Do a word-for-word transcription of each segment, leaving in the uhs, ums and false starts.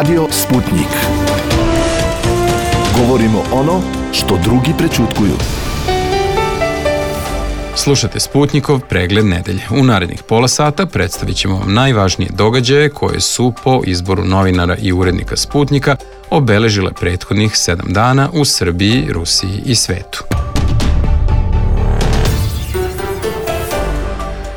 Radio Sputnik. Govorimo ono što drugi prećutkuju. Slušate Sputnikov pregled nedelje. U narednih pola sata predstavit ćemo vam najvažnije događaje koje su po izboru novinara i urednika Sputnika obeležile prethodnih sedam dana u Srbiji, Rusiji i svetu.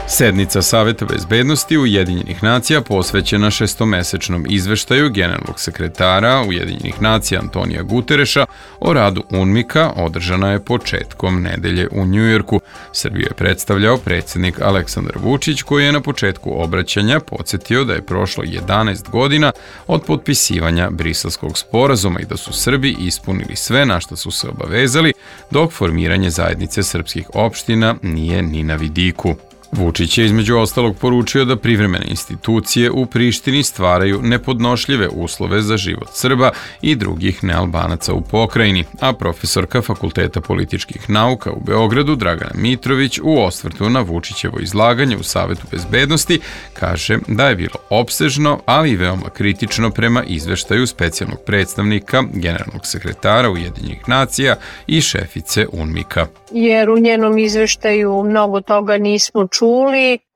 Sednica Saveta bezbednosti Ujedinjenih nacija posvećena šestomesečnom izveštaju generalnog sekretara Ujedinjenih nacija Antonija Gutereša o radu UNMIK-a održana je početkom nedelje u Njujorku. Srbiju je predstavljao predsjednik Aleksandar Vučić, koji je na početku obraćanja podsjetio da je prošlo jedanaest godina od potpisivanja Briselskog sporazuma i da su Srbi ispunili sve na što su se obavezali, dok formiranje zajednice srpskih opština nije ni na vidiku. Vučić je između ostalog poručio da privremene institucije u Prištini stvaraju nepodnošljive uslove za život Srba i drugih nealbanaca u pokrajini, a profesorka Fakulteta političkih nauka u Beogradu Dragana Mitrović u osvrtu na Vučićevo izlaganje u Savetu bezbednosti kaže da je bilo opsežno, ali i veoma kritično prema izveštaju specijalnog predstavnika generalnog sekretara Ujedinjenih nacija i šefice UNMIK-a. Jer u njenom izveštaju mnogo toga nismo čuli,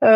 Uh,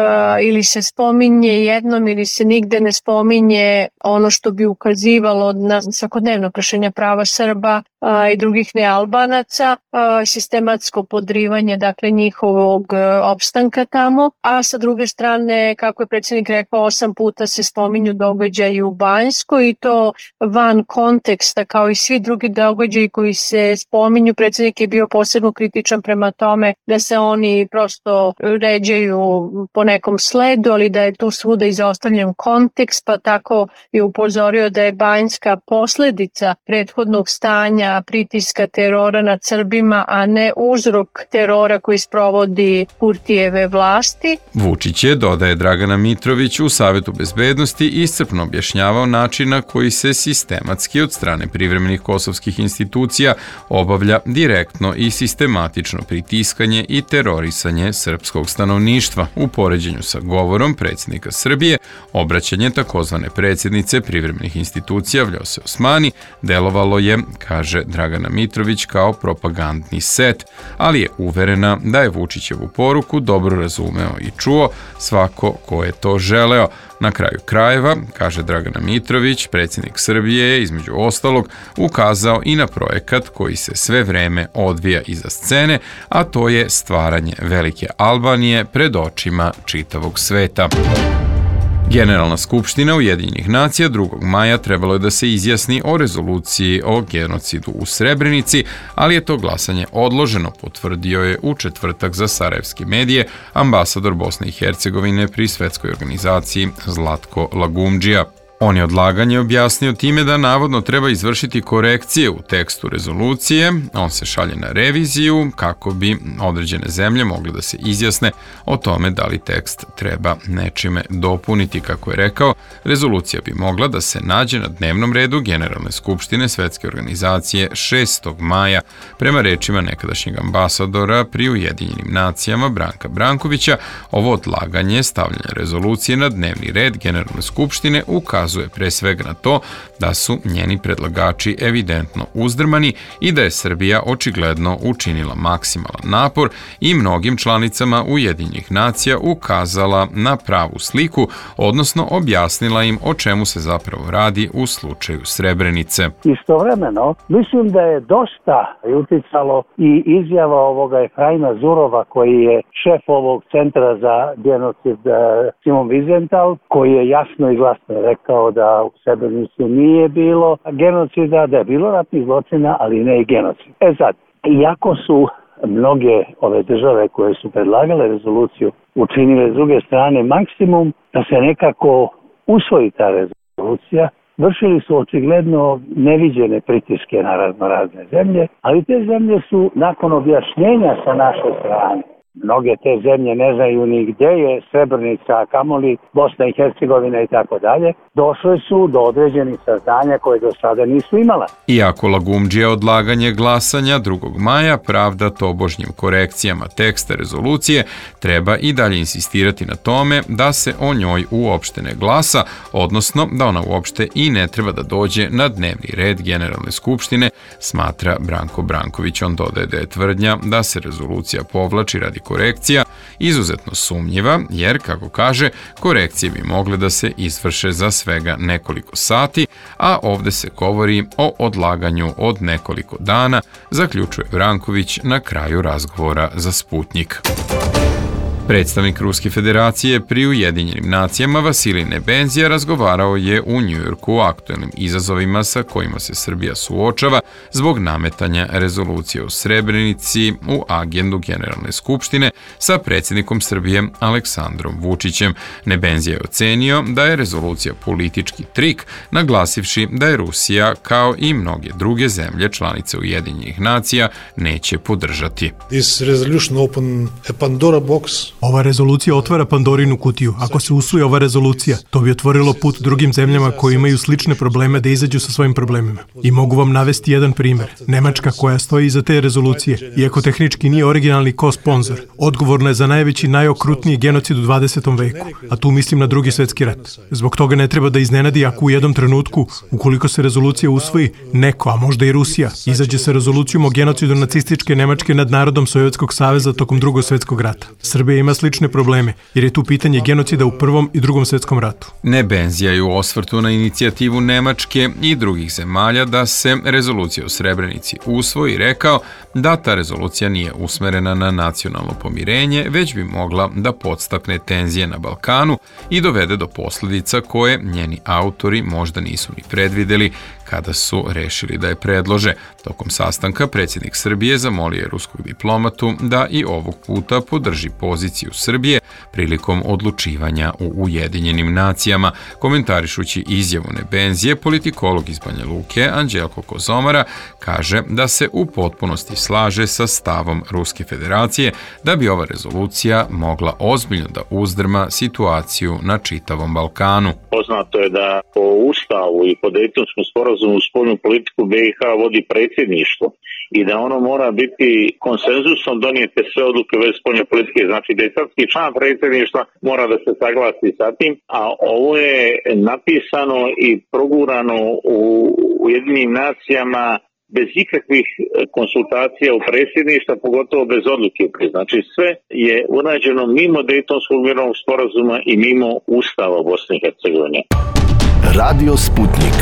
ili se spominje jednom ili se nigde ne spominje ono što bi ukazivalo na svakodnevno kršenje prava Srba uh, i drugih nealbanaca, uh, sistematsko podrivanje dakle njihovog uh, opstanka tamo, a sa druge strane, kako je predsjednik rekao, osam puta se spominju događaji u Banjskoj i to van konteksta kao i svi drugi događaji koji se spominju. Predsjednik je bio posebno kritičan prema tome da se oni prosto ređaju po nekom sledu, ali da je tu svuda izostavljen kontekst, pa tako je upozorio da je Banjska posledica prethodnog stanja, pritiska, terora nad Srbima, a ne uzrok terora koji sprovodi Kurtijeve vlasti. Vučić je, dodaje Dragana Mitrović, u Savetu bezbednosti iscrpno objašnjavao način na koji se sistematski od strane privremenih kosovskih institucija obavlja direktno i sistematično pritiskanje i terorisanje srpskog stanovništva. U poređenju sa govorom predsjednika Srbije, obraćanje takozvane predsjednice privremenih institucija Vljose Osmani delovalo je, kaže Dragana Mitrović, kao propagandni set, ali je uverena da je Vučićevu poruku dobro razumeo i čuo svako ko je to želeo. Na kraju krajeva, kaže Dragana Mitrović, predsjednik Srbije je između ostalog ukazao i na projekat koji se sve vreme odvija iza scene, a to je stvaranje velike Albanije pred očima čitavog sveta. Generalna skupština Ujedinjenih nacija drugog maja trebalo je da se izjasni o rezoluciji o genocidu u Srebrenici, ali je to glasanje odloženo, potvrdio je u četvrtak za sarajevske medije ambasador Bosne i Hercegovine pri svetskoj organizaciji Zlatko Lagumdžija. On je odlaganje objasnio time da navodno treba izvršiti korekcije u tekstu rezolucije, on se šalje na reviziju kako bi određene zemlje mogle da se izjasne o tome da li tekst treba nečime dopuniti. Kako je rekao, rezolucija bi mogla da se nađe na dnevnom redu Generalne skupštine Svetske organizacije šestog maja, prema rečima nekadašnjeg ambasadora pri Ujedinjenim nacijama Branka Brankovića. Ovo odlaganje stavljanja rezolucije na dnevni red Generalne skupštine ukazuje pre svega na to da su njeni predlagači evidentno uzdrmani i da je Srbija očigledno učinila maksimalan napor i mnogim članicama Ujedinjenih nacija ukazala na pravu sliku, odnosno objasnila im o čemu se zapravo radi u slučaju Srebrenice. Istovremeno, mislim da je dosta uticalo i izjava ovoga Efraima Zurova, koji je šef ovog centra za genocid Simon Wiesenthal, koji je jasno i glasno rekao da u Srebrenici nije bilo genocida, da je bilo ratnih zločina, ali ne i genocid. E sad, iako su mnoge ove države koje su predlagale rezoluciju učinile s druge strane maksimum da se nekako usvoji ta rezolucija, vršili su očigledno neviđene pritiske na razno razne zemlje, ali te zemlje su nakon objašnjenja sa naše strane Mnoge te zemlje ne znaju ni gdje je Srebrenica, a kamoli Bosna i Hercegovina i tako dalje. Došle su do određenih saznanja koje do sada nisu imala. Iako Lagumdžija odlaganje glasanja drugog maja pravda tobožnjim korekcijama teksta rezolucije, treba i dalje insistirati na tome da se o njoj uopšte ne glasa, odnosno da ona uopšte i ne treba da dođe na dnevni red Generalne skupštine, smatra Branko Branković. On dodaje da je tvrdnja da se rezolucija povlači radi korekcija izuzetno sumnjiva, jer, kako kaže, korekcije bi mogle da se izvrše za svega nekoliko sati, a ovde se govori o odlaganju od nekoliko dana, zaključuje Branković na kraju razgovora za Sputnjik. Predstavnik Ruske federacije pri Ujedinjenim nacijama Vasilij Nebenzija razgovarao je u Njujorku o aktuelnim izazovima sa kojima se Srbija suočava zbog nametanja rezolucije o Srebrenici u agendu Generalne skupštine sa predsjednikom Srbije Aleksandrom Vučićem. Nebenzija je ocenio da je rezolucija politički trik, naglasivši da je Rusija, kao i mnoge druge zemlje članice Ujedinjenih nacija, neće podržati. This resolution open a Pandora box. Ova rezolucija otvara Pandorinu kutiju. Ako se usvoji ova rezolucija, to bi otvorilo put drugim zemljama koji imaju slične probleme da izađu sa svojim problemima. I mogu vam navesti jedan primjer. Nemačka, koja stoji iza te rezolucije, iako tehnički nije originalni ko-sponzor, odgovorna je za najveći, najokrutniji genocid u dvadesetom veku, a tu mislim na Drugi svjetski rat. Zbog toga ne treba da iznenadi ako u jednom trenutku, ukoliko se rezolucija usvoji, neko, a možda i Rusija, izađe sa rezolucijom o genocidu nacističke Nemačke nad narodom Sovjetskog saveza tokom Drugog svjetskog rata. Srbija ima slične probleme, jer je tu pitanje genocida u Prvom i Drugom svjetskom ratu. Nebenzija je u osvrtu na inicijativu Nemačke i drugih zemalja da se rezolucija o Srebrenici usvoji rekao da ta rezolucija nije usmerena na nacionalno pomirenje, već bi mogla da podstakne tenzije na Balkanu i dovede do posljedica koje njeni autori možda nisu ni predvideli kada su rešili da je predlože. Tokom sastanka predsjednik Srbije zamolio je ruskog diplomatu da i ovog puta podrži poziciju Srbije prilikom odlučivanja u Ujedinjenim nacijama. Komentarišući izjavu Nebenzije, politikolog iz Banja Luke Anđelko Kozomara kaže da se u potpunosti slaže sa stavom Ruske federacije da bi ova rezolucija mogla ozbiljno da uzdrma situaciju na čitavom Balkanu. Poznato je da po Ustavu i po Dejtonskom sporazumu spoljnu politiku B i H vodi predsjedništvo i da ono mora biti konsenzusom donijete sve odluke već spoljne politike. Znači da je svaki član predsjedništva mora da se saglasi sa tim, a ovo je napisano i progurano u Ujedinjenim nacijama bez ikakvih konsultacija u predsjedništva, pogotovo bez odluke. Znači sve je urađeno mimo Dejtonskog mirovnog sporazuma i mimo Ustava Bosne i Hercegovine. Radio Sputnik.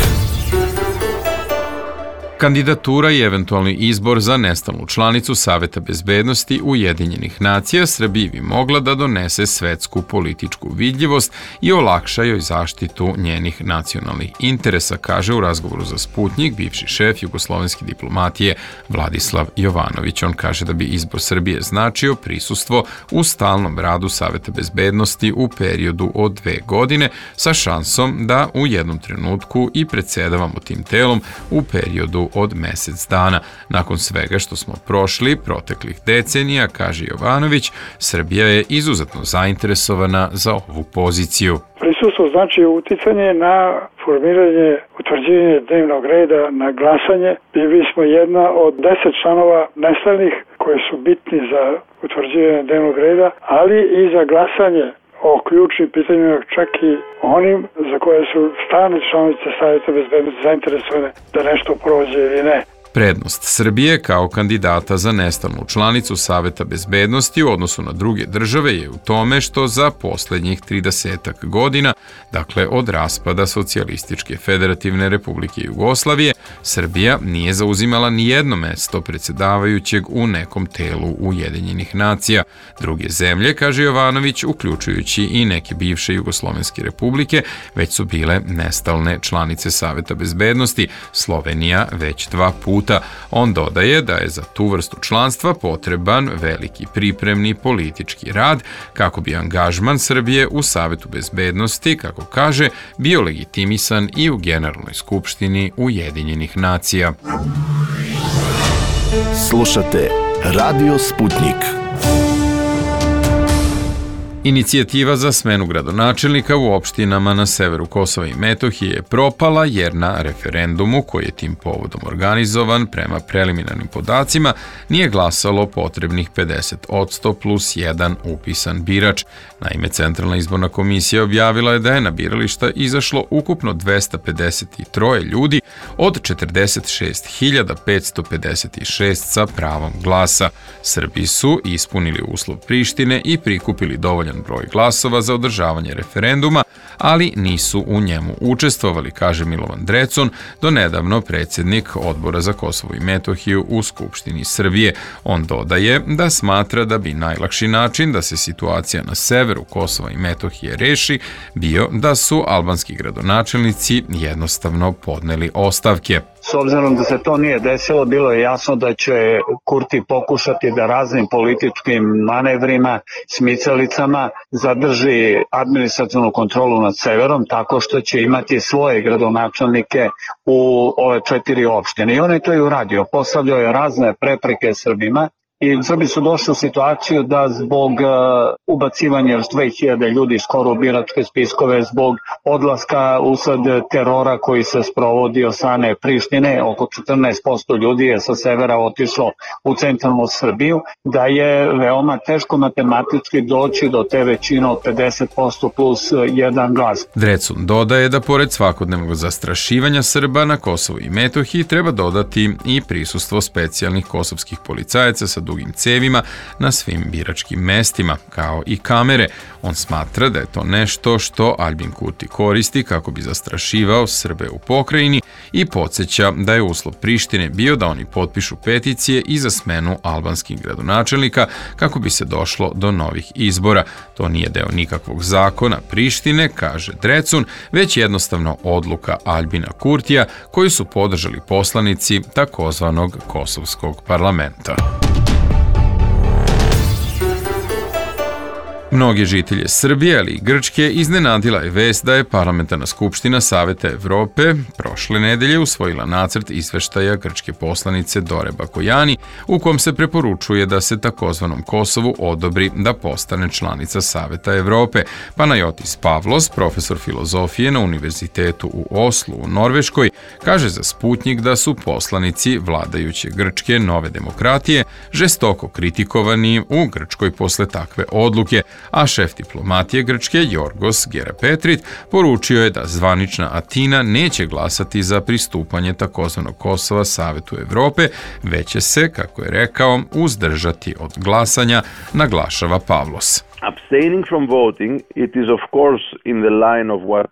Kandidatura i eventualni izbor za nestalnu članicu Saveta bezbednosti Ujedinjenih nacija Srbiji bi mogla da donese svetsku političku vidljivost i olakša joj zaštitu njenih nacionalnih interesa, kaže u razgovoru za Sputnjik bivši šef jugoslovenske diplomatije Vladislav Jovanović. On kaže da bi izbor Srbije značio prisustvo u stalnom radu Saveta bezbednosti u periodu od dve godine sa šansom da u jednom trenutku i predsedavamo tim telom u periodu od mesec dana. Nakon svega što smo prošli proteklih decenija, kaže Jovanović, Srbija je izuzetno zainteresovana za ovu poziciju. Prisustvo znači uticanje na formiranje, utvrđivanje dnevnog reda, na glasanje. I mi smo jedna od deset članova nestalnih koji su bitni za utvrđivanje dnevnog reda, ali i za glasanje o ključnim pitanjima, čak i onim za koje su stalne članice Savjeta bezbednosti zainteresovane da nešto prođe ili ne. Prednost Srbije kao kandidata za nestalnu članicu Saveta bezbednosti u odnosu na druge države je u tome što za posljednjih tridesetak godina, dakle od raspada Socijalističke federativne republike Jugoslavije, Srbija nije zauzimala ni jedno mesto predsjedavajućeg u nekom telu Ujedinjenih nacija. Druge zemlje, kaže Jovanović, uključujući i neke bivše jugoslovenske republike, već su bile nestalne članice Saveta bezbednosti, Slovenija već dva puta. On dodaje da je za tu vrstu članstva potreban veliki pripremni politički rad kako bi angažman Srbije u Savetu bezbednosti, kako kaže, bio legitimisan i u Generalnoj skupštini Ujedinjenih nacija. Slušate Radio Sputnik. Inicijativa za smenu gradonačelnika u opštinama na severu Kosova i Metohije je propala jer na referendumu koji je tim povodom organizovan prema preliminarnim podacima nije glasalo potrebnih pedeset odsto plus jedan upisan birač. Naime, Centralna izborna komisija objavila je da je na birališta izašlo ukupno dvesta pedeset tri ljudi od četrdeset šest hiljada petsto pedeset šest sa pravom glasa. Srbi su ispunili uslov Prištine i prikupili dovoljan broj glasova za održavanje referenduma, ali nisu u njemu učestvovali, kaže Milovan Drecun, donedavno predsjednik Odbora za Kosovo i Metohiju u Skupštini Srbije. On dodaje da smatra da bi najlakši način da se situacija na severu Kosova i Metohije reši bio da su albanski gradonačelnici jednostavno podneli ostavke. S obzirom da se to nije desilo, bilo je jasno da će Kurti pokušati da raznim političkim manevrima, smicalicama zadrži administrativnu kontrolu nad severom tako što će imati svoje gradonačelnike u ove četiri opštine. I on je to i uradio. Postavljao je razne prepreke Srbima. I Srbi su došli u situaciju da zbog uh, ubacivanja još dve hiljade ljudi skoro u biračke spiskove, zbog odlaska usled terora koji se sprovodi od strane Prištine, oko četrnaest posto ljudi je sa severa otišlo u centralnu Srbiju, da je veoma teško matematički doći do te većine od pedeset posto plus jedan glas. Drecun dodaje da pored svakodnevnog zastrašivanja Srba na Kosovu i Metohiji treba dodati i prisustvo specijalnih kosovskih policajaca sa dugim cevima na svim biračkim mestima, kao i kamere. On smatra da je to nešto što Albin Kurti koristi kako bi zastrašivao Srbe u pokrajini i podsjeća da je uslov Prištine bio da oni potpišu peticije i za smenu albanskih gradonačelnika kako bi se došlo do novih izbora. To nije deo nikakvog zakona Prištine, kaže Drecun, već jednostavno odluka Albina Kurtija koju su podržali poslanici takozvanog kosovskog parlamenta. Mnoge žitelje Srbije, ali i Grčke, iznenadila je vest da je Parlamentarna skupština Saveta Evrope prošle nedelje usvojila nacrt izveštaja grčke poslanice Dore Bakojani, u kom se preporučuje da se takozvanom Kosovu odobri da postane članica Saveta Evrope. Panajotis Pavlos, profesor filozofije na Univerzitetu u Oslu u Norveškoj, kaže za Sputnjik da su poslanici vladajuće Grčke Nove demokratije žestoko kritikovani u Grčkoj posle takve odluke, a šef diplomatije Grčke Jorgos Gerapetrit poručio je da zvanična Atina neće glasati za pristupanje takozvanog Kosova Savetu Evrope, već će se, kako je rekao, uzdržati od glasanja, naglašava Pavlos.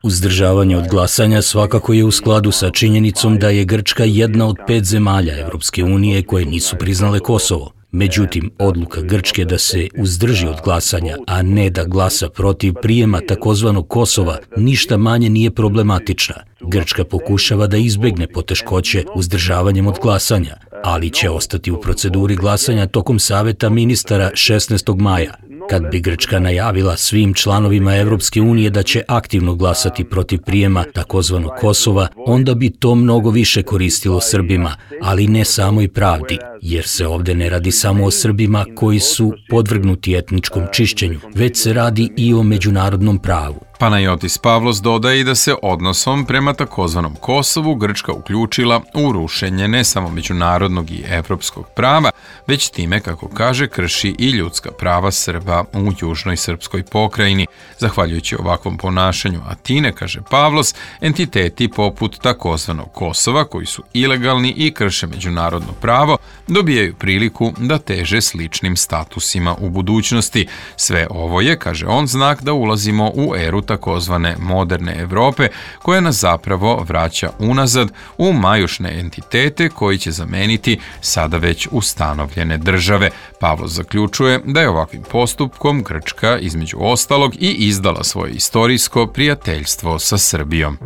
Uzdržavanje od glasanja svakako je u skladu sa činjenicom da je Grčka jedna od pet zemalja Evropske unije koje nisu priznale Kosovo. Međutim, odluka Grčke da se uzdrži od glasanja, a ne da glasa protiv prijema takozvanog Kosova, ništa manje nije problematična. Grčka pokušava da izbegne poteškoće uzdržavanjem od glasanja, ali će ostati u proceduri glasanja tokom Saveta ministara šesnaestog maja. Kad bi Grčka najavila svim članovima Evropske unije da će aktivno glasati protiv prijema takozvanog Kosova, onda bi to mnogo više koristilo Srbima, ali ne samo i pravdi, jer se ovde ne radi samo o Srbima koji su podvrgnuti etničkom čišćenju, već se radi i o međunarodnom pravu. Panajotis Pavlos dodaje i da se odnosom prema takozvanom Kosovu Grčka uključila u rušenje ne samo međunarodnog i evropskog prava, već time, kako kaže, krši i ljudska prava Srba u južnoj srpskoj pokrajini. Zahvaljujući ovakvom ponašanju Atine, kaže Pavlos, entiteti poput takozvanog Kosova, koji su ilegalni i krše međunarodno pravo, dobijaju priliku da teže sličnim statusima u budućnosti. Sve ovo je, kaže on, znak da ulazimo u eru takozvane moderne Evrope, koja nas zapravo vraća unazad u majušne entitete koji će zameniti sada već ustanovljene države. Pavlos zaključuje da je ovakvim postupkom Grčka između ostalog i izdala svoje istorijsko prijateljstvo sa Srbijom.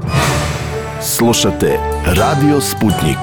Slušate Radio Sputnjik.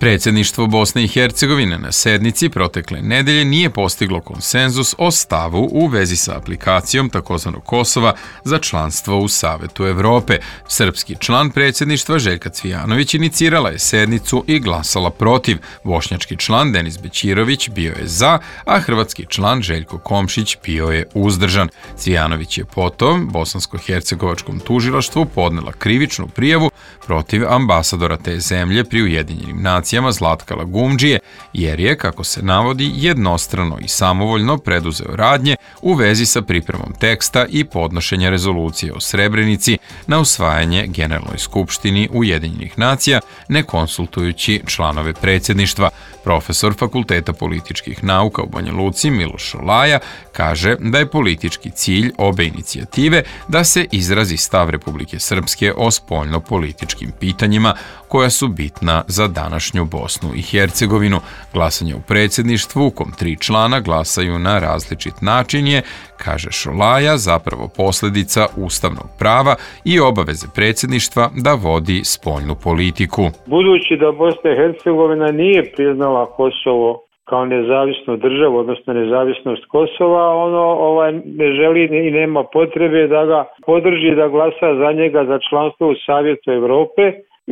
Predsjedništvo Bosne i Hercegovine na sednici protekle nedelje nije postiglo konsenzus o stavu u vezi sa aplikacijom takozvanog Kosova za članstvo u Savetu Evrope. Srpski član predsjedništva Željka Cvijanović inicirala je sednicu i glasala protiv. Bošnjački član Denis Bećirović bio je za, a hrvatski član Željko Komšić bio je uzdržan. Cvijanović je potom bosansko-hercegovačkom tužilaštvu podnela krivičnu prijavu protiv ambasadora te zemlje pri Ujedinjenim nacijama Zlatka Lagumdžije, jer je, kako se navodi, jednostrano i samovoljno preduzeo radnje u vezi sa pripremom teksta i podnošenja rezolucije o Srebrenici na usvajanje Generalnoj skupštini Ujedinjenih nacija, ne konsultujući članove predsjedništva. Profesor Fakulteta političkih nauka u Banja Luci Miloš Šolaja kaže da je politički cilj obe inicijative da se izrazi stav Republike Srpske o spoljno-političkim pitanjima koja su bitna za današnju Bosnu i Hercegovinu. Glasanje u predsjedništvu u kom tri člana glasaju na različit način je, kaže Šolaja, zapravo posljedica ustavnog prava i obaveze predsjedništva da vodi spoljnu politiku. Budući da Bosna i Hercegovina nije priznala Kosovo kao nezavisnu državu, odnosno nezavisnost Kosova, ono ovaj, ne želi i nema potrebe da ga podrži, da glasa za njega za članstvo u Savjetu Evrope.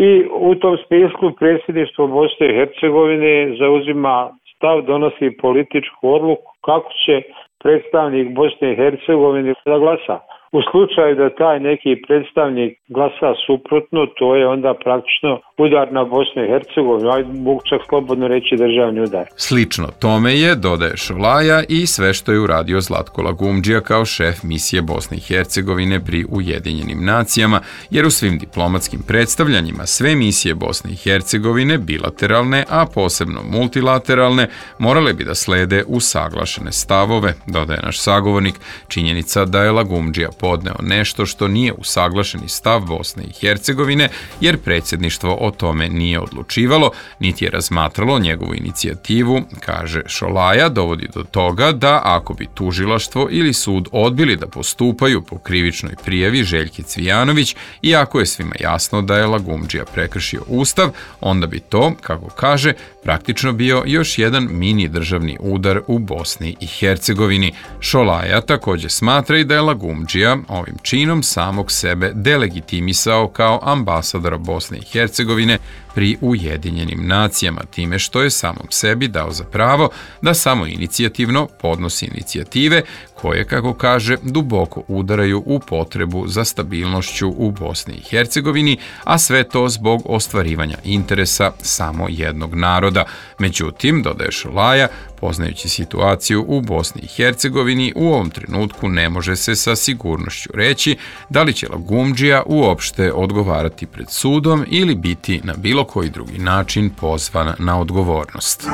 I u tom smislu predsjedništvo Bosne i Hercegovine zauzima stav, donosi političku odluku kako će predstavnik Bosne i Hercegovine da glasa. U slučaju da taj neki predstavnik glasa suprotno, to je onda praktično udar na Bosnu i Hercegovinu, a mogu čak slobodno reći državni udar. Slično tome je, dodaje Šolaja, i sve što je uradio Zlatko Lagumdžija kao šef misije Bosne i Hercegovine pri Ujedinjenim nacijama, jer u svim diplomatskim predstavljanjima sve misije Bosne i Hercegovine, bilateralne, a posebno multilateralne, morale bi da slede usaglašene stavove, dodaje naš sagovornik. Činjenica da je Lagumdžija podneo nešto što nije usaglašeni stav Bosne i Hercegovine, jer predsjedništvo o tome nije odlučivalo, niti je razmatralo njegovu inicijativu, kaže Šolaja, dovodi do toga da ako bi tužilaštvo ili sud odbili da postupaju po krivičnoj prijavi Željke Cvijanović, i ako je svima jasno da je Lagumdžija prekršio ustav, onda bi to, kako kaže, praktično bio još jedan mini državni udar u Bosni i Hercegovini. Šolaja također smatra i da je Lagumdžija ovim činom samog sebe delegitimisao kao ambasadora Bosne i Hercegovine pri Ujedinjenim nacijama, time što je samom sebi dao za pravo da samo inicijativno podnosi inicijative koje, kako kaže, duboko udaraju u potrebu za stabilnošću u Bosni i Hercegovini, a sve to zbog ostvarivanja interesa samo jednog naroda. Međutim, dodaje Šolaja, poznajući situaciju u Bosni i Hercegovini, u ovom trenutku ne može se sa sigurnošću reći da li će Lagumdžija uopšte odgovarati pred sudom ili biti na bilo koji drugi način pozvan na odgovornost.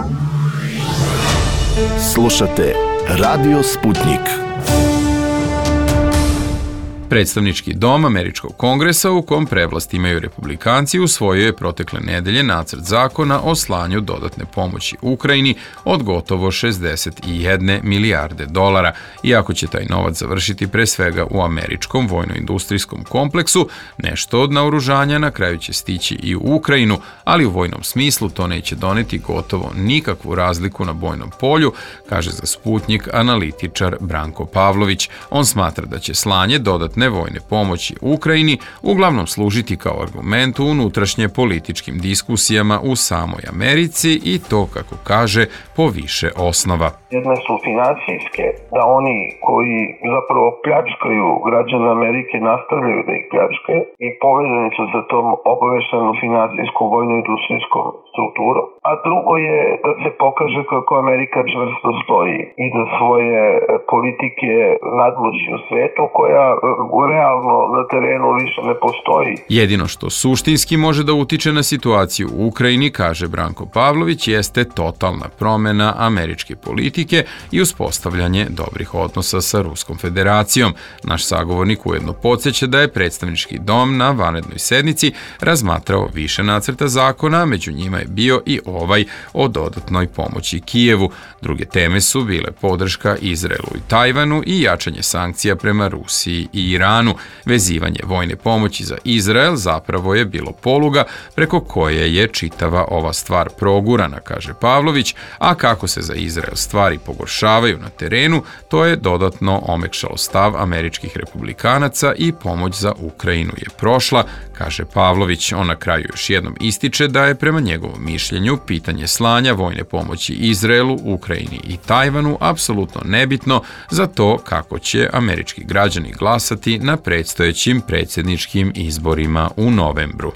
Slušate Radio Sputnik. Predstavnički dom Američkog kongresa, u kom prevlast imaju republikanci, usvojio je protekle nedelje nacrt zakona o slanju dodatne pomoći Ukrajini od gotovo šezdeset jedne milijarde dolara. Iako će taj novac završiti pre svega u američkom vojno-industrijskom kompleksu, nešto od naoružanja na kraju će stići i u Ukrajinu, ali u vojnom smislu to neće doneti gotovo nikakvu razliku na bojnom polju, kaže za Sputnik analitičar Branko Pavlović. On smatra da će slanje dodatne vojne pomoći Ukrajini uglavnom služiti kao argument u unutrašnje političkim diskusijama u samoj Americi, i to, kako kaže, po više osnova. Jedne su financijske, da oni koji zapravo pljačkaju građane Amerike nastavljaju da ih pljačkaju i povezani su za tom obaveštenom financijskom vojno-industrijskom strukturom. A drugo je da se pokaže kako Amerika čvrsto stoji i da svoje politike nadmoći u svetu, koja realno na terenu više ne postoji. Jedino što suštinski može da utiče na situaciju u Ukrajini, kaže Branko Pavlović, jeste totalna promjena američke politike i uspostavljanje dobrih odnosa sa Ruskom federacijom. Naš sagovornik ujedno podsjeća da je predstavnički dom na vanrednoj sednici razmatrao više nacrta zakona, među njima je bio i ovaj o dodatnoj pomoći Kijevu. Druge teme su bile podrška Izraelu i Tajvanu i jačanje sankcija prema Rusiji i Iranu. Vezivanje vojne pomoći za Izrael zapravo je bilo poluga preko koje je čitava ova stvar progurana, kaže Pavlović, a kako se za Izrael stvari pogoršavaju na terenu, to je dodatno omekšalo stav američkih republikanaca i pomoć za Ukrajinu je prošla, kaže Pavlović. On na kraju još jednom ističe da je prema njegovom mišljenju pitanje slanja vojne pomoći Izraelu, Ukrajini i Tajvanu apsolutno nebitno za to kako će američki građani glasati na predstojećim predsjedničkim izborima u novembru.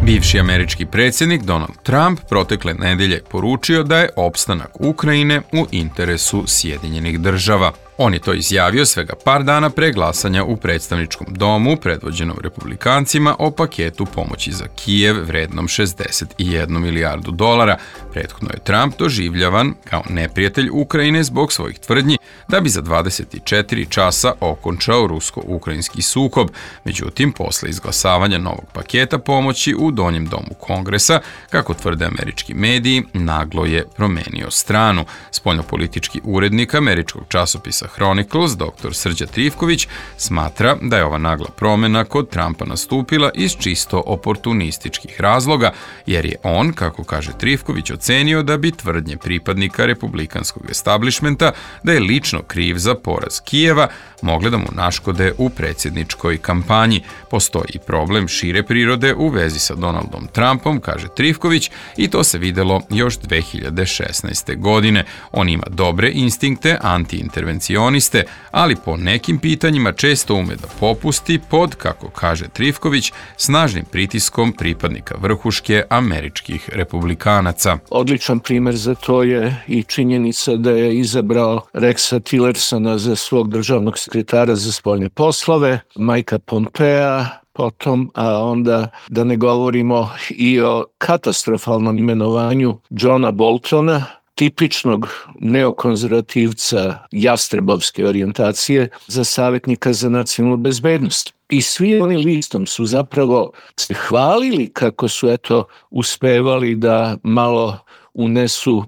Bivši američki predsjednik Donald Trump protekle nedelje poručio da je opstanak Ukrajine u interesu Sjedinjenih država. On je to izjavio svega par dana pre glasanja u predstavničkom domu predvođenom republikancima o paketu pomoći za Kijev vrednom šezdeset jednu milijardu dolara. Prethodno je Trump doživljavan kao neprijatelj Ukrajine zbog svojih tvrdnji da bi za dvadeset četiri časa okončao rusko-ukrajinski sukob. Međutim, posle izglasavanja novog paketa pomoći u Donjem domu Kongresa, kako tvrde američki mediji, naglo je promenio stranu. Spoljnopolitički urednik američkog časopisa Chronicles, doktor Srđa Trifković, smatra da je ova nagla promjena kod Trumpa nastupila iz čisto oportunističkih razloga, jer je on, kako kaže Trifković, ocenio da bi tvrdnje pripadnika republikanskog establishmenta da je lično kriv za poraz Kijeva mogle da mu naškode u predsjedničkoj kampanji. Postoji problem šire prirode u vezi sa Donaldom Trumpom, kaže Trifković, i to se videlo još dve hiljade šesnaeste. godine. On ima dobre instinkte antiintervencioniste, ali po nekim pitanjima često ume da popusti pod, kako kaže Trifković, snažnim pritiskom pripadnika vrhuške američkih republikanaca. Odličan primer za to je i činjenica da je izabrao Rexa Tillersona za svog državnog sekretara za spoljne poslove, Mikea Pompea, potom, a onda da ne govorimo i o katastrofalnom imenovanju Johna Boltona, tipičnog neokonzervativca jastrebovske orijentacije za savjetnika za nacionalnu bezbednost. I svi oni listom su zapravo se hvalili kako su eto uspevali da malo unesu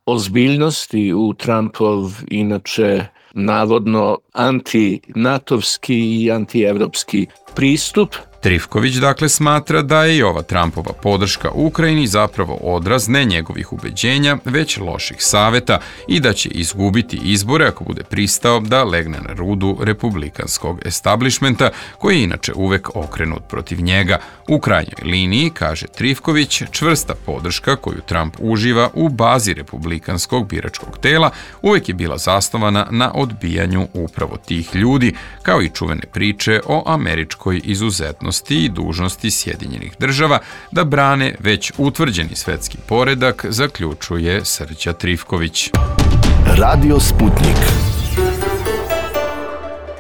ozbiljnosti u Trumpov inače navodno anti-natovski i anti-evropski pristup. Trifković dakle smatra da je i ova Trumpova podrška Ukrajini zapravo odraz ne njegovih ubeđenja, već loših saveta i da će izgubiti izbore ako bude pristao da legne na rudu republikanskog establishmenta, koji je inače uvek okrenut protiv njega. U krajnjoj liniji, kaže Trifković, čvrsta podrška koju Trump uživa u bazi republikanskog biračkog tela uvek je bila zasnovana na odbijanju upravo tih ljudi, kao i čuvene priče o američkoj izuzetnosti i dužnosti Sjedinjenih država da brane već utvrđeni svetski poredak, zaključuje Srđa Trifković. Radio Sputnik.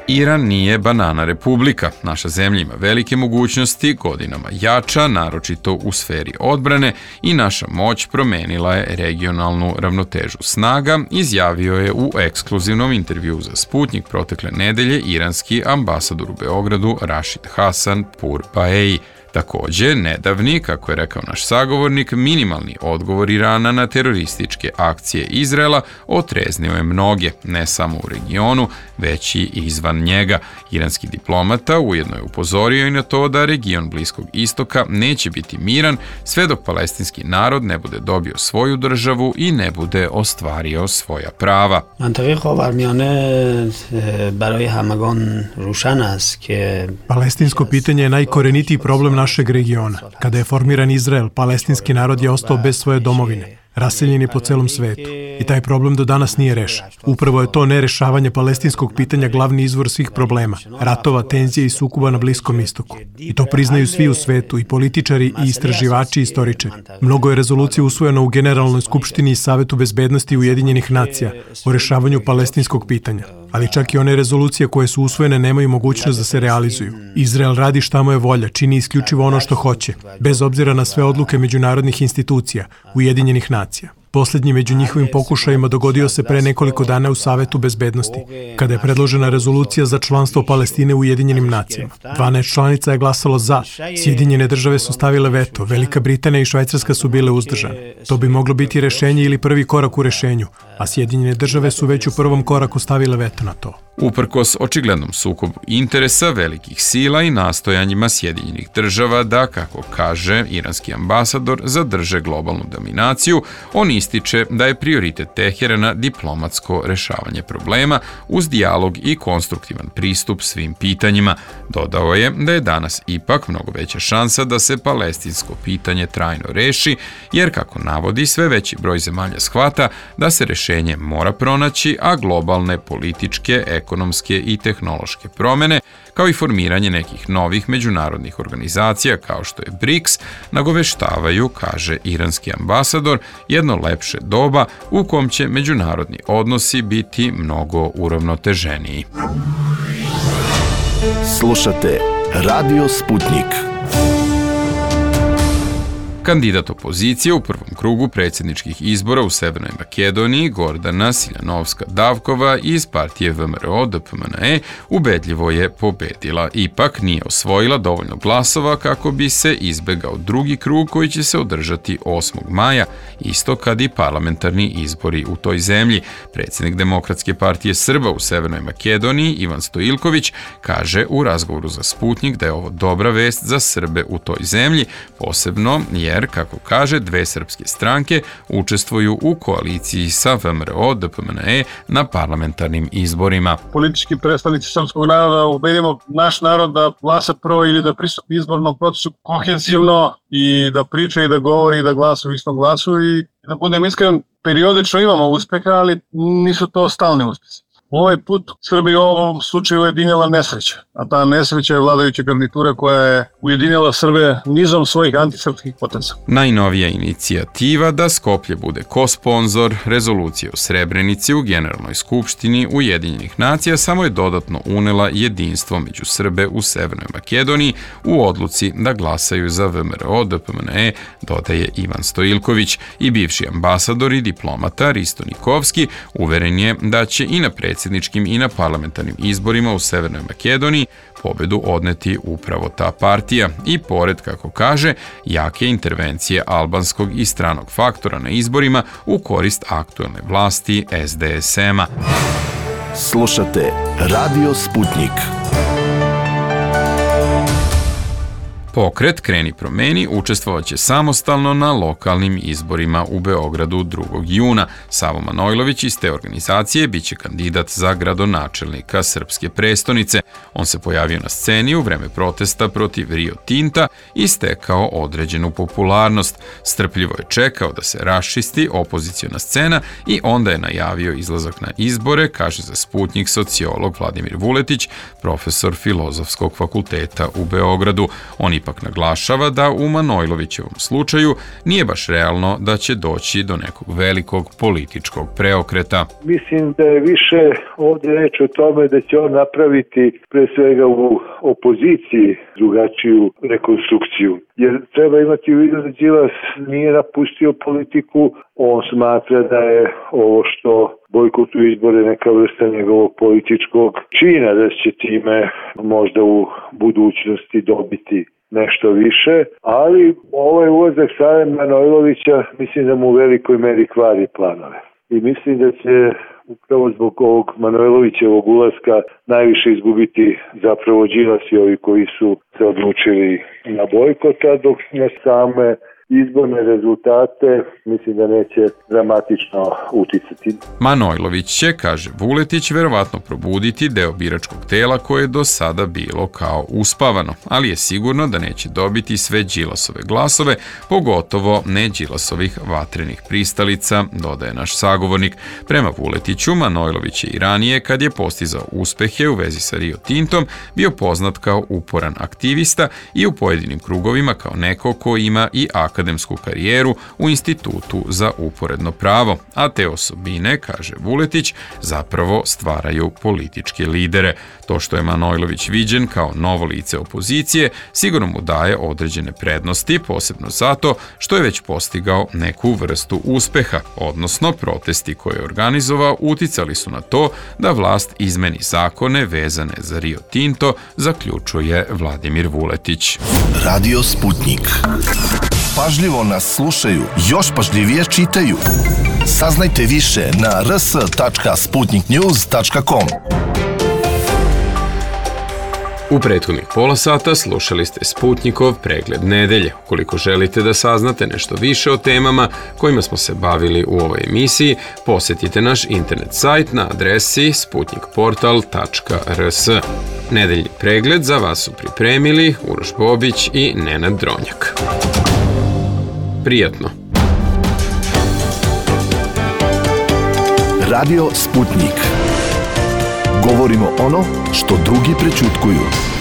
Iran nije banana republika. Naša zemlja ima velike mogućnosti, godinama jača, naročito u sferi odbrane, i naša moć promenila je regionalnu ravnotežu snaga, izjavio je u ekskluzivnom intervjuu za Sputnik protekle nedelje iranski ambasador u Beogradu Rashid Hasan Purbaei. Takođe, nedavni, kako je rekao naš sagovornik, minimalni odgovor Irana na terorističke akcije Izraela otreznio je mnoge, ne samo u regionu, već i izvan njega. Iranski diplomata ujedno je upozorio i na to da region Bliskog istoka neće biti miran sve dok palestinski narod ne bude dobio svoju državu i ne bude ostvario svoja prava. Palestinsko pitanje je najkorenitiji problem našeg regiona. Kada je formiran Izrael, palestinski narod je ostao bez svoje domovine. Raseljen je po celom svetu. I taj problem do danas nije rešen. Upravo je to nerešavanje palestinskog pitanja glavni izvor svih problema, ratova, tenzije i sukoba na Bliskom istoku. I to priznaju svi u svetu, i političari, i istraživači, i istoričari. Mnogo je rezolucija usvojeno u Generalnoj skupštini i Savetu bezbednosti Ujedinjenih nacija o rešavanju palestinskog pitanja. Ali čak i one rezolucije koje su usvojene nemaju mogućnost da se realizuju. Izrael radi šta mu je volja, čini isključivo ono što hoće, bez obzira na sve odluke međunarodnih institucija, Ujedinjenih nacija. Posljednji među njihovim pokušajima dogodio se pre nekoliko dana u Savetu bezbednosti, kada je predložena rezolucija za članstvo Palestine u Ujedinjenim nacijama. dvanaest članica je glasalo za, Sjedinjene države su stavile veto, Velika Britanija i Švajcarska su bile uzdržane. To bi moglo biti rešenje ili prvi korak u rešenju, a Sjedinjene države su već u prvom koraku stavile veto na to. Uprkos očiglednom sukobu interesa velikih sila i nastojanjima Sjedinjenih država da, kako kaže iranski ambasador, zadrže globalnu dominaciju, on ističe da je prioritet Teherana diplomatsko rešavanje problema uz dijalog i konstruktivan pristup svim pitanjima. Dodao je da je danas ipak mnogo veća šansa da se palestinsko pitanje trajno reši, jer, kako navodi, sve veći broj zemalja shvata da se rešenje mora pronaći, a globalne političke, ekonomske i tehnološke promene, kao i formiranje nekih novih međunarodnih organizacija kao što je BRICS, nagoveštavaju, kaže iranski ambasador, jedno lepše doba u kom će međunarodni odnosi biti mnogo uravnoteženiji. Slušate Radio Sputnik. Kandidat opozicije u prvom krugu predsjedničkih izbora u Severnoj Makedoniji, Gordana Siljanovska-Davkova iz partije V M R O D P M N E, ubedljivo je pobedila. Ipak nije osvojila dovoljno glasova kako bi se izbegao drugi krug koji će se održati osmog maja, isto kad i parlamentarni izbori u toj zemlji. Predsjednik Demokratske partije Srba u Severnoj Makedoniji, Ivan Stojiljković, kaže u razgovoru za Sputnik da je ovo dobra vest za Srbe u toj zemlji, posebno je jer, kako kaže, dve srpske stranke učestvuju u koaliciji sa V M R O D P M N E na parlamentarnim izborima. Politički predstavnici srpskog naroda ubedimo naš narod da glasa prvo ili da pristupi izbornom procesu kohezivno i da priča i da govori i da glasa u istom glasu i da budem iskren, periodično imamo uspeha, ali nisu to stalni uspjesi. Ovaj put Srbija u ovom slučaju ujedinila nesreća, a ta nesreća je vladajuća garnitura koja je ujedinila Srbe nizom svojih antisrpskih poteza. Najnovija inicijativa da Skoplje bude ko-sponzor rezolucije o Srebrenici u Generalnoj skupštini Ujedinjenih nacija samo je dodatno unela jedinstvo među Srbe u Severnoj Makedoniji u odluci da glasaju za V M R O D P M N E, dodaje Ivan Stojiljković, i bivši ambasador i diplomata Risto Nikovski uveren je da će i na predsjedničkim i na parlamentarnim izborima u Severnoj Makedoniji pobedu odneti upravo ta partija i pored, kako kaže, jake intervencije albanskog i stranog faktora na izborima u korist aktuelne vlasti S D S M-a. Slušate Radio Sputnik. Pokret Kreni promeni učestvovaće samostalno na lokalnim izborima u Beogradu drugog juna. Savo Manojlović iz te organizacije biće kandidat za gradonačelnika srpske prestonice. On se pojavio na sceni u vreme protesta protiv Rio Tinta i stekao određenu popularnost. Strpljivo je čekao da se raščisti opoziciona scena i onda je najavio izlazak na izbore, kaže za Sputnik sociolog Vladimir Vuletić, profesor Filozofskog fakulteta u Beogradu. On ipak naglašava da u Manojlovićevom slučaju nije baš realno da će doći do nekog velikog političkog preokreta. Mislim da je više ovdje reč o tome da će on napraviti pre svega u opoziciji drugačiju rekonstrukciju. Jer treba imati u vidu da Đilas nije napustio politiku, on smatra da je ovo što bojkotu izbore neka vrsta njegovog političkog čina, da će time možda u budućnosti dobiti nešto više, ali ovaj ulazak Save Manojlovića mislim da mu u velikoj meri kvari planove. I mislim da će upravo zbog ovog Manojlovićevog ulaska najviše izgubiti zapravo Đilas i ovi koji su se odlučili na bojkota, dok na same izborne rezultate mislim da neće dramatično uticati. Manojlović će, kaže Vuletić, verovatno probuditi deo biračkog tela koje je do sada bilo kao uspavano, ali je sigurno da neće dobiti sve Đilasove glasove, pogotovo ne Đilasovih vatrenih pristalica, dodaje naš sagovornik. Prema Vuletiću, Manojlović je i ranije, kad je postizao uspehe u vezi sa Rio Tintom, bio poznat kao uporan aktivista i u pojedinim krugovima kao neko ko ima i aktivnost akademsku karijeru u Institutu za uporedno pravo, a te osobine, kaže Vuletić, zapravo stvaraju političke lidere. To što je Manojlović viđen kao novo lice opozicije sigurno mu daje određene prednosti, posebno zato što je već postigao neku vrstu uspeha, odnosno protesti koje je organizovao uticali su na to da vlast izmeni zakone vezane za Rio Tinto, zaključuje Vladimir Vuletić. Radio Sputnik. Pažljivo nas slušaju, još pažljivije čitaju. Saznajte više na r s tačka sputnik news tačka com. U prethodnih pola sata slušali ste Sputnikov pregled nedelje. Ukoliko želite da saznate nešto više o temama kojima smo se bavili u ovoj emisiji, posjetite naš internet sajt na adresi sputnik portal tačka r s. Nedeljni pregled za vas su pripremili Uroš Bobić i Nenad Dronjak. Prijatno! Radio Sputnik. Govorimo ono što drugi prećutkuju.